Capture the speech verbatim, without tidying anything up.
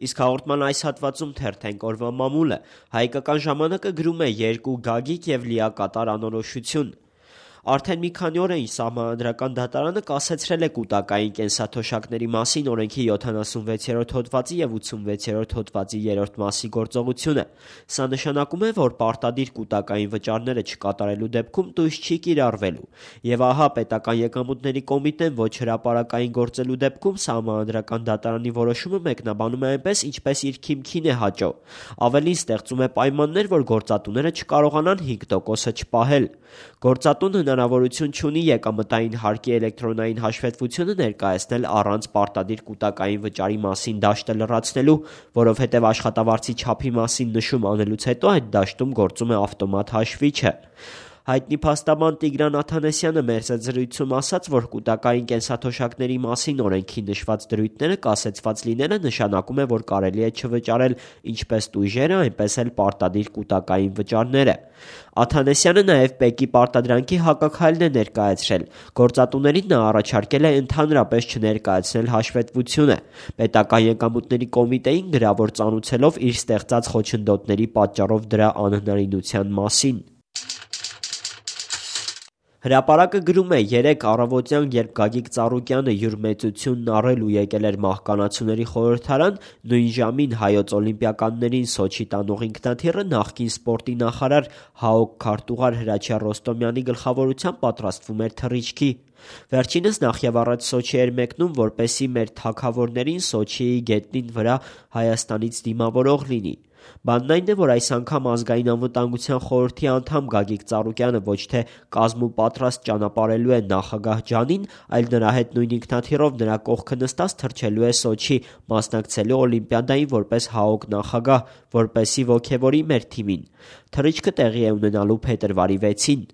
Իսկ հաղորդման այս հատվածում թերթենք օրվա մամուլը։ Հայկական ժամանակը գրում է երկու գագիկ և լիակատար անորոշություն։ Արդեն մի քանի օր է ինչ Սահմանադրական դատարանը կասեցրել է կուտակային կենսաթոշակների մասին օրենքի յոթանասունվեցերորդ հոդվածի և ութսունվեցերորդ հոդվածի երրորդ մասի գործողությունը։ Սա նշանակում է, որ պարտադիր կուտակային վճարները չկատարելու դեպքում տույս չի կիրառվելու։ Եվ ահա պետական եկամուտների կոմիտեն ոչ հրապարակային գործելու դեպքում Սահմանադրական դատարանի որոշումը մեկնաբանում է այնպես, ինչպես իր քիմքին է հաճո։ Ավելին, ստեղծում է պայմաններ, որ գործատուները չկարողանան հինգ տոկոսը չպահել։ Գործատուն հնարավորություն չունի եկամտային հարկի էլեկտրոնային հաշվետվությունը ներկայացնել առանց պարտադիր կուտակային վճարի մասին դաշտը լրացնելու, որովհետև աշխատավարձի չափի մասին նշում անելուց հետո այդ դաշտում գործում է ավտոմատ հաշվիչը։ Հայտնի փաստաբան Տիգրան Աթանեսյանը մեր զրույցում ասաց, որ կուտակային կենսաթոշակների մասին օրենքի նշված դրույթները կասեցված լինելը նշանակում է, որ կարելի է չվճարել ինչպես տույժերը, այնպես էլ պարտադիր կուտակային վճարները։ Աթանեսյանը նաև ՊԵԿ-ի պարտադրանքի հակաքայլն է ներկայացրել։ Գործատուներին նա առաջարկել է ընդհանրապես չներկայացնել հաշվետվությունը, պետական եկամուտների կոմիտեին գրավոր ծանուցելով իր ստեղծած խոչընդոտների պատճառով դրա անհնարինության մասին։ Հրապարակը գրում է. երեկ առավոտյան, երբ Գագիկ Ծառուկյանը յուր մեծությունն առելու եկել էր Մահկանացուների խորհրդարան, նույն ժամին հայոց օլիմպիականներին Սոչի տանող ինքնաթիռը նախկին սպորտի նախարար ՀԱՕԿ քարտուղար Հրաչյա Ռոստոմյանի գլխավորությամբ պատրաստվում էր թռիչքի։ Վերջինս նախևառաջ Սոչի էր մեկնում, որպեսզի մեր թագավորներին Սոչիի գետնին վրա Հայաստանից դիմավորող լինի։ Բանն այն է, որ այս անգամ Ազգային անվտանգության խորհրդի անդամ Գագիկ Ծառուկյանը ոչ թե կազմում պատրաստ ճանապարհելու է նախագահ Ջանին, այլ նրա հետ նույն ինքնաթիռով նրա կողքը նստած թռչելու է Սոչի, մասնակցելու Օլիմպիադային որպես ՀԱՕԿ նախագահ, որպեսզի ոգևորի մեր թիմին։ Թռիչքը տեղի է ունենալու փետրվարի վեցին։